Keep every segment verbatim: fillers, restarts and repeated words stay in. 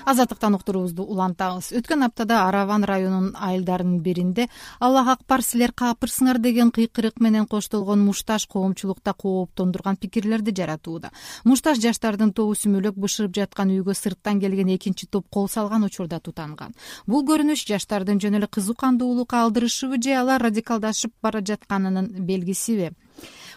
Азаттыктан уктуруубузду улантабыз. Өткөн аптада Араван районунун айылдарынын биринде Аллах акбар силер капырсыңар деген кыйкырык менен коштолгон мушташ коомчулукта кооптондурган пикирлерди жаратууда. Мушташ жаштардын тобу сүмөлөк бышырып жаткан үйгө сырттан келген экинчи топ кол салган учурда тутанган. Бул көрүнүш жаштардын жөн эле кызукандуулукка алдырышыбы же алар радикалдашып бара жатканынын белгисиби?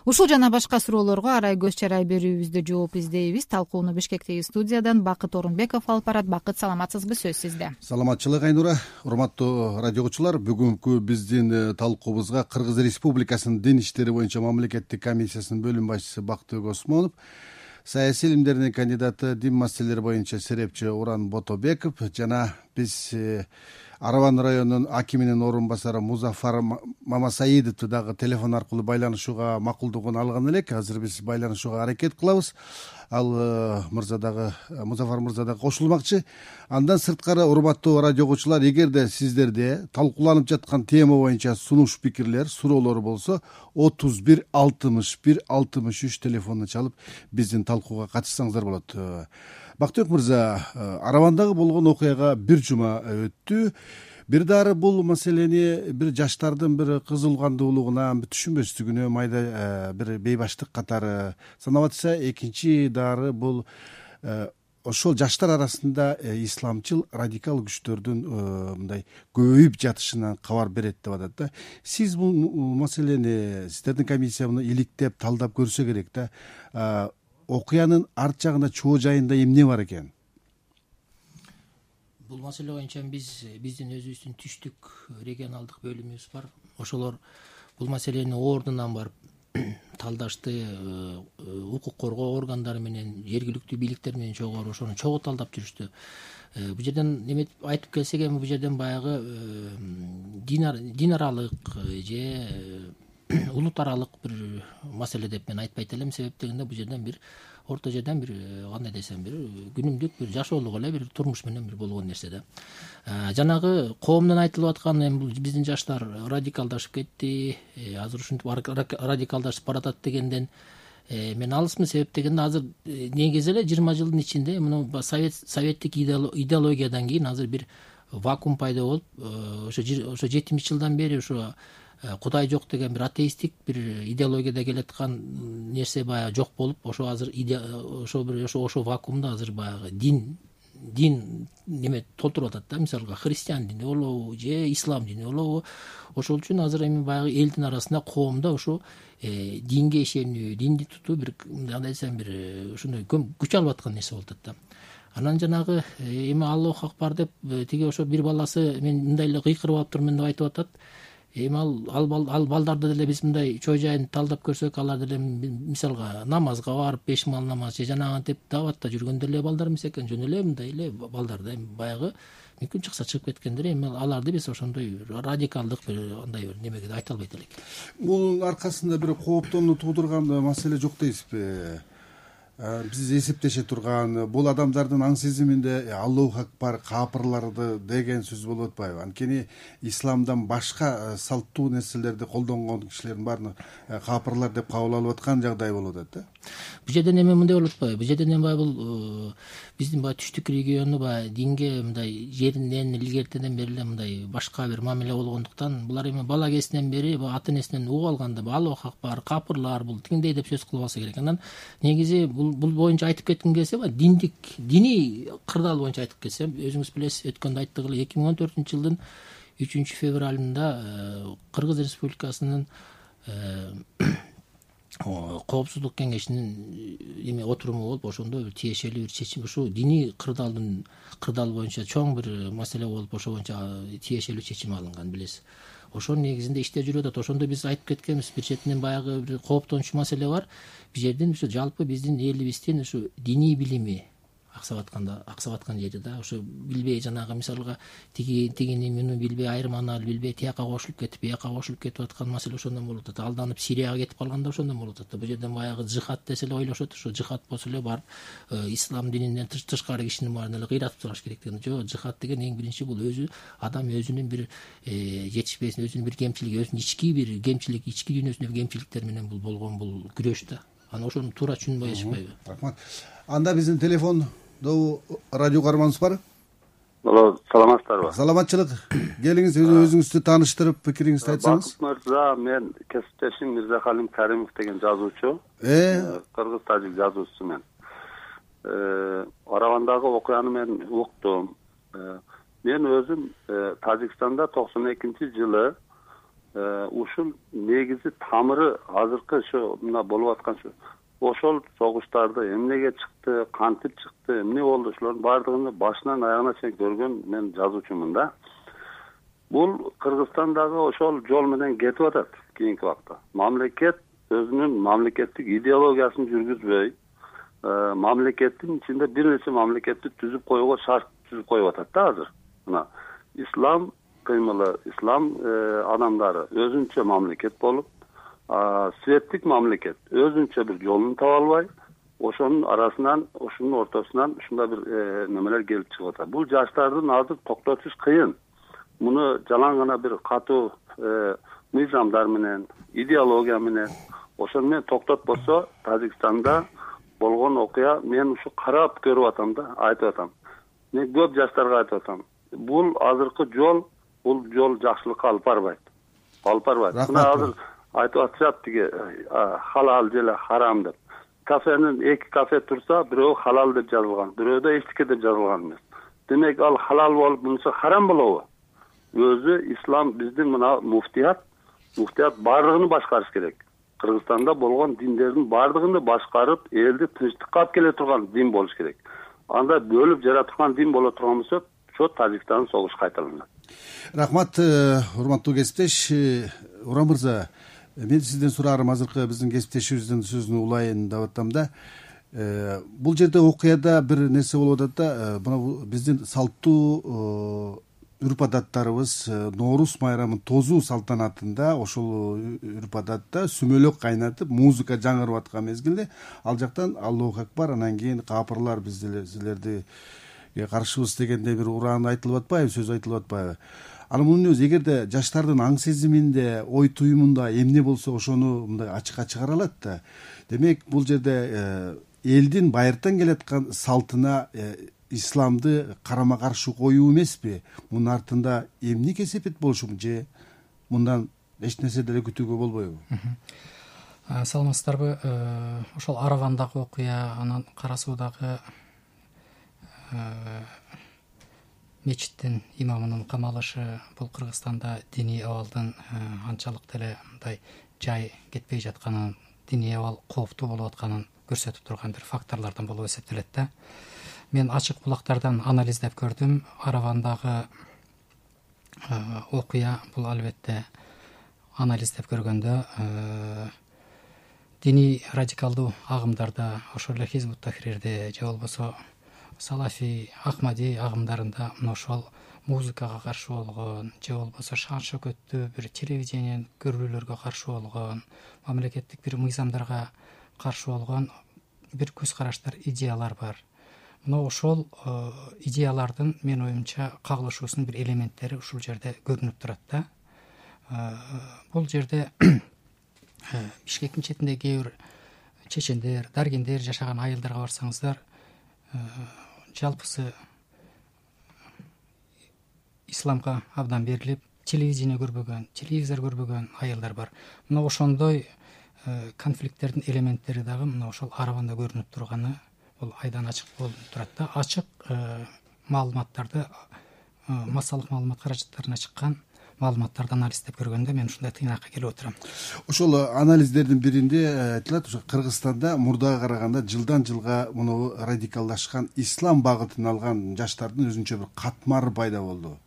Ушул жана башка суроолорго арай көз чарай берүүбүздө жооп издейбиз. Талкууну Бишкектеги студиядан Бакыт Орунбеков алып барат. Бакыт, саламатсызбы? Сөз сизде. Саламатчылык, Айнура. Урматтуу радиогучулар, бүгүнкү биздин талкуубузга Кыргыз Республикасынын Дин иштери боюнча мамлекеттик комиссиясынын бөлүм башчысы Бактыбек Осмонов, саясий илимдеринин кандидаты, дин маселелери боюнча серепчи Уран Ботобеков жана биз Араван районунун акиминин орун басары Музафар Мамасаидовду дагы телефон аркылуу байланышууга макулдугун алган элек. Азыр биз байланышууга аракет кылабыз. Ал мырза дагы, Музафар мырза дагы кошулмакчы. Андан сырткары, урматтуу радиогучулар, эгерде сиздерде талкууланып жаткан тема боюнча сунуш пикирлер, суроолор болсо, отуз бир алтымыш бир алтымыш үч телефонуна чалып биздин талкууга катышсаңыздар болот. Бактыбек мырза, Аравандагы болгон окуяга бир жума өттү. Бир дары бул маселени бир жаштардын бир кызулгандуулугуна, түшүнбөстүгүнө, майда бир бейбаштык катары санап атса, экинчи дары бул ошол жаштар арасында исламчыл радикал күчтөрдүн мындай көбөйүп жатышынан кабар берет деп атат да. Сиз бул маселени, сиздердин комиссия муну иликтеп, талдап көрсө керек да. Окуянын арт жагында, чоо жайында эмне бар экен? Бул маселе боюнча биз биздин өзүбүздүн түштүк регионалдык бөлүмүбүз бар. Ошолор бул маселени ордунан барып талдашты, укук коргоо органдары менен, жергиликтүү бийликтер менен чогуу ошону чогуу талдап жүрүштү. Бул жерден эме айтып келсек, эми бул жерден баягы дин аралык же улут аралык бир маселе деп мен айтпайт элем. Себеп дегенде бул жерден бир орто жерден бир кандай десем, бир күнүмдүк бир жашоолук эле бир турмуш менен бир болгон нерсе да. Жанагы коомдон айтылып аткан, эми бул биздин жаштар радикалдашып кетти, азыр ушинтип радикалдашып баратат дегенден мен алысмын. Себеп дегенде азыр негизи эле жыйырма жылдын ичинде муну совет советтик идеологиядан кийин азыр бир вакуум пайда болуп, ошо ошо жетимиш жылдан бери ошо Кудай жок деген бир атеисттик бир идеологияда келаткан нерсе баягы жок болуп, ошо азыр ошо бир ошо ошо вакуумда азыр баягы дин дин неме толтуруп атат да. Мисалга христиан дини болобу же ислам дини болобу. Ошол үчүн азыр эми баягы элдин арасында, коомдо ошо динге ишенүү, динди тутуу бир кандай десем, бир ушундай күч алып аткан нерсе болуп атат да. Анан жанагы эми Аллах акбар деп тиги ошо бир баласы мен мындай эле кыйкырып алып турмун деп айтып атат. Эми ал ал балдарды деле биз мындай чой жайын талдап көрсөк, алар деле мисалга намазга барып, беш мал намаз же жанагынтип даватта жүргөн деле балдар эмес экен, жөн эле мындай эле балдар да. Эми баягы мүмкүн чыкса чыгып кеткендер. Эми аларды биз ошондой радикалдык бир андай бир немеге айта албайт элек. Бул аркасында бир кооптонуу туудурган маселе жок дейсизби? Биз эсептеше турган бул адамдардын аң сезиминде Аллах акбар, капырларды деген сөз болуп атпайбы? Анткени исламдан башка салттуу нерселерди колдонгон кишилердин баарын капырлар деп кабыл алып аткан жагдай болуп атат да. Бул жерден эме мындай болуп атпайбы? Бул жерден эми баягы бул биздин баягы түштүк региону баягы динге мындай жеринен илгертеден бери эле мындай башка бир мамиле болгондуктан, булар эми бала кезинен бери ата энесинен угуп алганда Аллах акбар, капырлар бул тигиндей деп сөз кылып алса керек. Анан негизи бул бул боюнча айтып кетким келсе, диндик диний кырдаал боюнча айтып кетсем, өзүңүз билесиз, өткөндө айттык эле, эки миң он төртүнчү жылдын үчүнчү февралында Кыргыз Республикасынын коопсуздук кеңешинин эме отуруму болуп, ошондо бир тиешелүү бир чечим, ушу диний кырдаалдын кырдаал боюнча чоң бир маселе болуп, ошо боюнча тиешелүү чечим алынган, билесиз. Ошонун негизинде иштер жүрүп атат. Ошондо биз айтып кеткенбиз, бир четинен баягы бир кооптончу маселе бар. Бул жерден ушу жалпы биздин элибиздин ушу диний билими аксап атканда аксап аткан жери да. Ошо билбей жанагы мисалга тиги тигини муну билбей, айырманы билбей, тияка кошулуп кетип, бияка кошулуп кетип аткан маселе ошондон болуп атат. Алданып Сирияга кетип калганда ошондон болуп атат. Бул жерден баягы жихад десе эле ойлошот, ошо жихад болсо эле барып ислам дининен тышкары кишинин баарын эле кыйратып тураш керек деген. Жок, жихад деген эң биринчи бул өзү адам өзүнүн бир жетишпесин, өзүнүн бир кемчилиги, өзүнүн ички бир кемчилик, ички дүйнөсүндө кемчиликтер менен бул болгон бул күрөш да. Анан ошону туура түшүнбөй эчпейби? Рахмат. Анда биздин телефон радио каарманыбыз бар. Алло, саламатсыздарбы? Саламатчылык. Келиңиз, өзүңүздү тааныштырып, пикириңизди айтсаңыз. Бакыт мырза, мен кесиптешим Мирзахалим Каримов деген жазуучу. Э, кыргыз тажик жазуучусу мен. Аравандагы окуяны мен уктум. Мен өзүм Тажикстанда токсон экинчи жылы ушул негизи тамыры азыркы ушу мына болуп аткан ушу ошол согуштарды эмнеге чыкты, кантип чыкты, эмне болду, ошолордун баардыгын башынан аягына чейин көргөн мен жазуучумун да. Бул Кыргызстандагы ошол жол менен кетип атат кийинки убакта. Мамлекет өзүнүн мамлекеттик идеологиясын жүргүзбөй, мамлекеттин ичинде бир нече мамлекетти түзүп коюуга шарт түзүп коюп атат да азыр. Мына ислам кыймылы, ислам адамдары өзүнчө мамлекет болуп, светтик мамлекет өзүнчө бир жолун таба албай, ошонун арасынан, ошонун ортосунан ушундай бир немелер келип чыгып атат. Бул жаштардын азыр токтотуш кыйын. Муну жалаң гана бир катуу мыйзамдар менен, идеология менен, ошону менен токтотпосо, Тажикстанда болгон окуя мен ушу карап көрүп атам да, айтып атам. Мен көп жаштарга айтып атам. Бул азыркы жол, бул жол жакшылыкка алып барбайт. Алып барбайт. Мына азыр айтып атышат тиги халал же харам деп. Кафенин эки кафе турса, бирөө халал деп жазылган, бирөөдө эчтеке деп жазылган эмес. Демек ал халал болуп, мунусу харам болобу? Өзү ислам биздин мына муфтият, муфтият баардыгын башкарыш керек. Кыргызстанда болгон диндердин баардыгын башкарып, элди тынчтыкка алып келе турган дин болуш керек. Анда бөлүп жараткан дин боло турган болсо, ошо Тажикстан согуш кайталанат. Рахмат, урматтуу кесиптеш. Урам мырза, мен сизден сураарым азыркы биздин кесиптешибиздин сөзүн улайын деп атам да. Бул жерде окуяда бир нерсе болуп атат да, мына биздин салттуу үрп адаттарыбыз Ноорус майрамын тозуу салтанатында ошол үрп адатта сүмөлөк кайнатып, музыка жаңырып аткан мезгилде ал жактан Аллаху акбар, анан кийин капырлар биздерди каршыбыз дегенде бир уран айтылып атпайбы, сөз айтылып атпайбы? Анан мунун өзү эгерде жаштардын аң сезиминде, ой туюмунда эмне болсо ошону мындай ачыкка чыгара алат да. Демек, бул жерде элдин байыртан келаткан салтына исламды карама каршы коюу эмеспи? Мунун артында эмне кесепет болушу же мындан эч нерсе деле күтүүгө болбойбу? Саламатсыздарбы? Ошол Аравандагы окуя, анан Кара Суудагы мечиттин имамынын камалышы, бул Кыргызстанда диний абалдын анчалык деле мындай жай кетпей жатканын, диний абал кооптуу болуп атканын көрсөтүп турган бир факторлордон болуп эсептелет да. Мен ачык булактардан анализдеп көрдүм. Аравандагы окуя, бул албетте анализдеп көргөндө диний радикалдуу агымдарда, ошол эле Хизбут Тахрирде же болбосо Салафи, Ахмади агымдарында мына ошол музыкага каршы болгон, же болбосо шан шөкөттүү бир телевидениеден көрүүлөргө каршы болгон, мамлекеттик бир мыйзамдарга каршы болгон бир көз караштар, идеялар бар. Мына ошол идеялардын мен оюмча кагылышуусунун бир элементтери ушул жерде көрүнүп турат да. Бул жерде Бишкектин четинде кээ бир чечендер, даргендер жашаган айылдарга барсаңыздар, жалпысы исламга абдан берилип, телевидение көрбөгөн, телевизор көрбөгөн айылдар бар. Мына ошондой конфликттердин элементтери дагы мына ошол Араванда көрүнүп турганы бул айдан ачык болуп турат да. Ачык маалыматтарды, массалык маалымат каражаттарына чыккан маалыматтарды анализдеп көргөндө мен ушундай тыйнакка келип отурам. Ошол анализдердин биринде айтылат, ошо Кыргызстанда мурдага караганда жылдан жылга муну радикалдашкан ислам багытын алган жаштардын өзүнчө бир катмары пайда болду.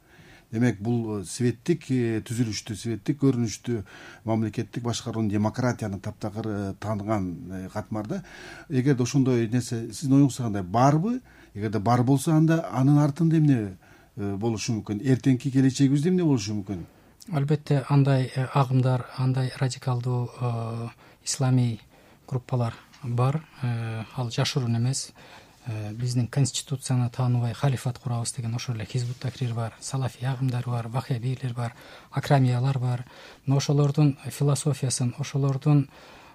Демек, бул светтик түзүлүштү, светтик көрүнүштү, мамлекеттик башкаруунун, демократияны таптакыр тааныган катмарда. Эгерде ошондой нерсе сиздин оюңузда кандай, барбы? Эгерде бар болсо, анда анын артында эмне болушу мүмкүн? Эртеңки келечегибизде эмне болушу мүмкүн? Албетте андай агымдар, андай радикалдуу исламий группалар бар. Ал жашыруун эмес. Биздин конституцияны тааныбай халифат курабыз деген ошол эле Хизбут Тахрир бар, Салафи агымдары бар, вахабилер бар, акрамиялар бар. Мына ошолордун философиясын, ошолордун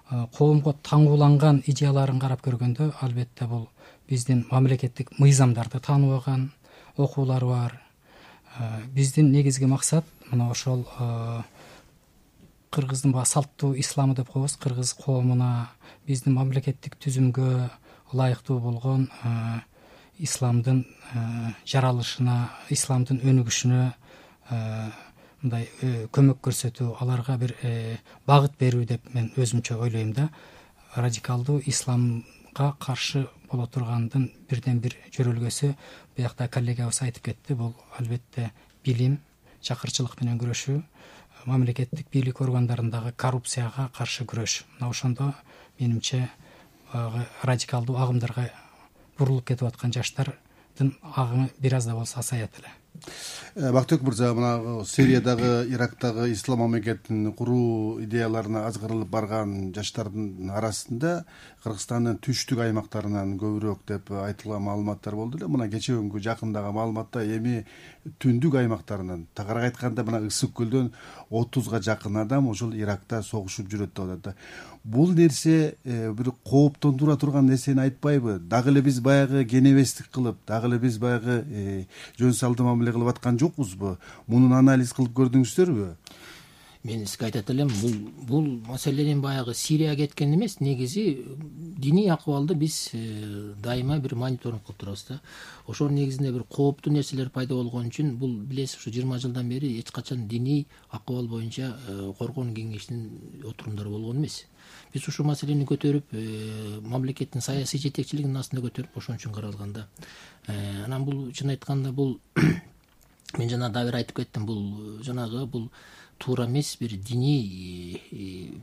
коомго таңууланган идеяларын карап көргөндө, албетте бул биздин мамлекеттик мыйзамдарды тааныбаган окуулар бар, биздин негизги максат мына ошол кыргыздын баягы салттуу исламы деп коебуз, кыргыз коомуна биздин мамлекеттик түзүмгө ылайыктуу болгон исламдын жаралышына, исламдын өнүгүшүнө мындай көмөк көрсөтүү, аларга бир багыт берүү деп мен өзүмчө ойлойм да. Радикалдуу исламга каршы боло тургандын бирден бир жөрөлгөсү, буякта коллегабыз айтып кетти, бул албетте билим, чакырчылык менен күрөшүү, мамлекеттик бийлик органдарындагы коррупцияга каршы күрөш. Мына ошондо менимче радикалдуу агымдарга бурулуп кетип аткан жаштардын агымы бир аз да болсо азаят эле. Бактыбек мырза, мына Сириядагы, Ирактагы ислам мамлекетин куруу идеяларына азгырылып барган жаштардын арасында Кыргызстандын түштүк аймактарынан көбүрөөк деп айтылган маалыматтар болду эле. Мына кече күнгү жакындагы маалыматта эми түндүк аймактарынан, тагыраак айтканда мына Ысык көлдөн отузга жакын адам ошол Иракта согушуп жүрөт деп атат да. Бул нерсе бир кооптондура турган нерсени айтпайбы? Дагы эле биз баягы кенебестик кылып, дагы эле биз баягы жөн салдуу мамиле кылып аткан жокпузбу? Мунун анализ кылып көрдүңүздөрбү? Мен сизге айтат элем, бул бул маселенин баягы Сирияга кеткен эмес, негизи диний акыбалды биз дайыма бир мониторинг кылып турабыз да. Ошонун негизинде бир кооптуу нерселер пайда болгон үчүн, бул билесиз, ушу жыйырма жылдан бери эч качан диний акыбал боюнча коргоон кеңешинин отурумдары болгон эмес. Биз ушул маселени көтөрүп, мамлекеттин саясий жетекчилигинин астында көтөрүп, ошон үчүн каралган да. Анан бул чын айтканда бул мен жана дагы бир айтып кеттим, бул жанагы бул туура эмес, бир диний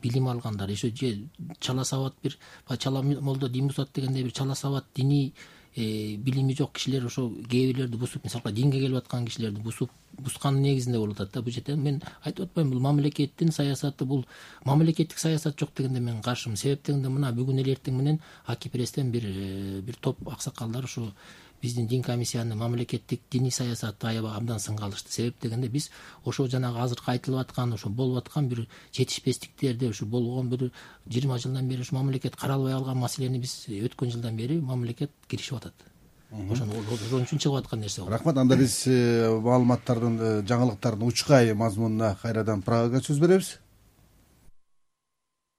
билим алгандар, ошо же чала сабат бир чала молдо дин бузат дегендей бир чала сабат диний билими жок кишилер ошо кээ бирлерди бузуп, мисалга динге келип аткан кишилерди бузуп бузганын негизинде болуп атат да. Бул жерде мен айтып атпайм, бул мамлекеттин саясаты, бул мамлекеттик саясат жок дегенде мен каршымын. Себеп дегенде мына бүгүн эле эртең менен Аки пресстен бир бир топ аксакалдар ошо биздин дин комиссиянын мамлекеттик диний саясатты аябай абдан сынга алышты. Себеп дегенде биз ошо жанагы азыркы айтылып аткан, ошо болуп аткан бир жетишпестиктерди, ошо болгон бир жыйырма жылдан бери ушу мамлекет каралбай калган маселени биз өткөн жылдан бери мамлекет киришип атат. Ошон ошон үчүн чыгып аткан нерсе. Рахмат. Анда биз маалыматтардын, жаңылыктардын учкай мазмунуна кайрадан Прагаға сөз беребиз.